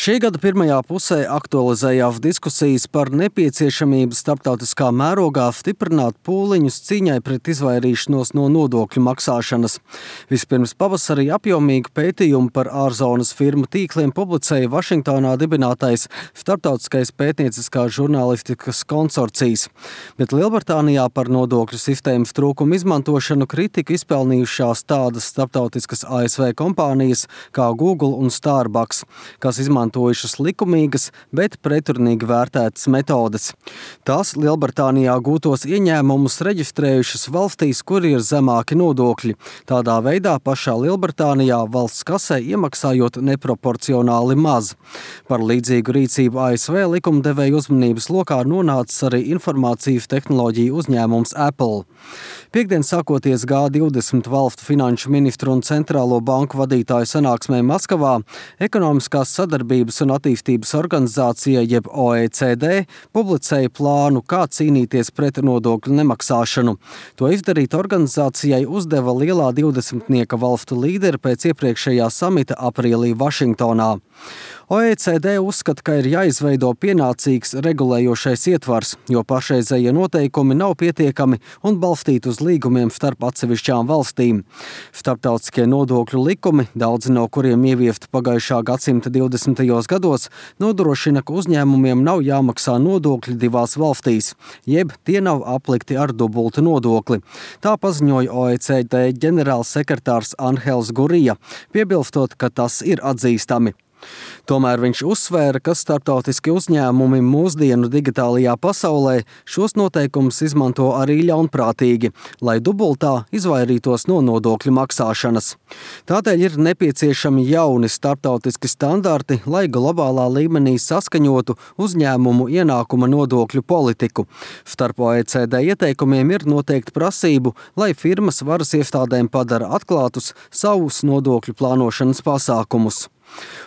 Šī gada pirmajā pusē aktualizējās diskusijas par nepieciešamību starptautiskā mērogā stiprināt pūliņus cīņai pret izvairīšanos no nodokļu maksāšanas. Vispirms pavasarī apjomīgu pētījumu par ārzonas firmu tīkliem publicēja Vašingtonā dibinātais starptautiskais pētnieciskās žurnālistikas konsorcijs. Bet Lielbritānijā par nodokļu sistēmas trūkumu izmantošanu kritiku izpelnījušās tādas starptautiskas ASV kompānijas kā Google un Starbucks, kas izmantojušas likumīgas, bet pretrunīgi vērtētas metodes. Tās Lielbritānijā gūtos ieņēmumus reģistrējušas valstīs, kur ir zemāki nodokļi. Tādā veidā pašā Lielbritānijā valsts kasē iemaksājot neproporcionāli maz. Par līdzīgu rīcību ASV likumdevēju uzmanības lokā nonācis arī informācijas tehnoloģiju uzņēmums Apple. Piektdien sākoties G20 valstu finanšu ministru un centrālo banku vadītāju sanāksmē Maskavā, Ekonomiskās sadarbības un attīstības organizācija jeb OECD publicēja plānu, kā cīnīties pret nodokļu nemaksāšanu. To izdarīt organizācijai uzdeva lielā 20 valstu līderi pēc iepriekšējā samita aprīlī Vašingtonā. OECD uzskata, ka ir jāizveido pienācīgs regulējošais ietvars, jo pašreizējie noteikumi nav pietiekami un balstīti uz līgumiem starp atsevišķām valstīm. Starptautiskie nodokļu likumi, daudzi no kuriem ieviesti pagājušā gadsimta 20. gados, nodrošina, ka uzņēmumiem nav jāmaksā nodokļi divās valstīs, jeb tie nav aplikti ar dubultu nodokli. Tā paziņoja OECD ģenerālsekretārs Anhels Gurija, piebilstot, ka tas ir atzīstami. Tomēr viņš uzsvēra, ka starptautiski uzņēmumi mūsdienu digitālajā pasaulē šos noteikumus izmanto arī ļaunprātīgi, lai dubultā izvairītos no nodokļu maksāšanas. Tādēļ ir nepieciešami jauni starptautiski standarti, lai globālā līmenī saskaņotu uzņēmumu ienākuma nodokļu politiku. Starp OECD ieteikumiem ir noteikti prasību, lai firmas varas iestādēm padara atklātus savus nodokļu plānošanas pasākumus.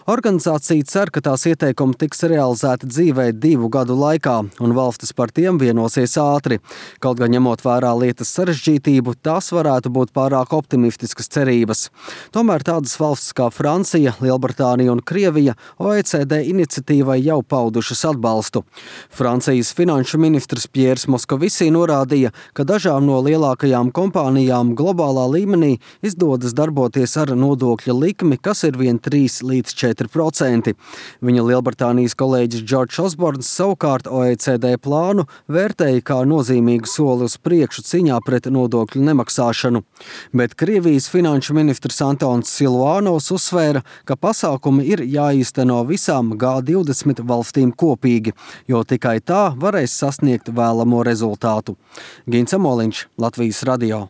Organizācija cer, ka tās ieteikumi tiks realizēti dzīvē 2 gadu laikā, un valstis par tiem vienosies ātri. Kaut gan ņemot vērā lietas sarežģītību, tās varētu būt pārāk optimistiskas cerības. Tomēr tādas valstis kā Francija, Lielbritānija un Krievija OECD iniciatīvai jau paudušas atbalstu. Francijas finanšu ministrs Pierre Moscovici norādīja, ka dažām no lielākajām kompānijām globālā līmenī izdodas darboties ar nodokļa likmi, kas ir vien 3 līdz 4%. Viņa Lielbritānijas kolēģis Džordžs Osborns savukārt OECD plānu vērtēja kā nozīmīgu soli uz priekšu cīņā pret nodokļu nemaksāšanu. Bet Krievijas finanšu ministrs Antons Siluanovs uzsvēra, ka pasākumi ir jāīsteno visām G20 valstīm kopīgi, jo tikai tā varēs sasniegt vēlamo rezultātu. Gins Amoliņš, Latvijas radio.